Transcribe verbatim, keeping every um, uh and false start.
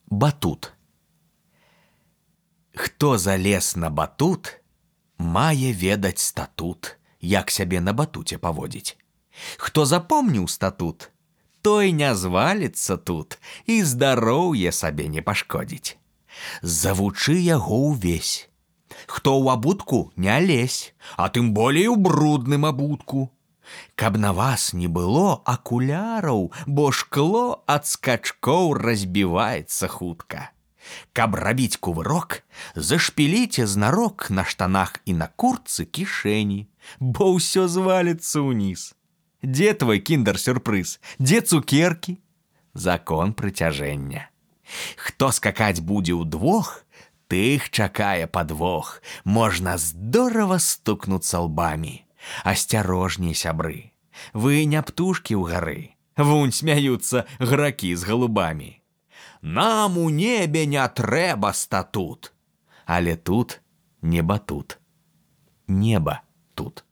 Батут. Хто залез на батут, мае ведаць статут, як сябе на батуце паводзіць. Хто запомніў статут, той не зваліцца тут і здароўе сабе не пашкодзіць. Завучы яго ўвесь. Хто ў абутку, не лезь, а тым болей у брудным абутку. Каб на вас не было акуляраў, бо шкло ад скачкоў разбіваецца хутка. Каб рабіць кувырок, зашпіліце знарок на штанах і на куртцы кішэні, бо ўсё зваліцца ўніз. Дзе твой кіндер-сюрпрыз? Дзе цукеркі? Закон прыцяжэння. Хто скакаць будзе ўдвох, тых чакае падвох. Можна здорава стукнуцца лбамі. Асцярожней, сябры, вы не птушкі ў гары. Вунь смяюцца гракі з галубамі. Нам у небе не трэба статут. Але тут не батут. Неба тут.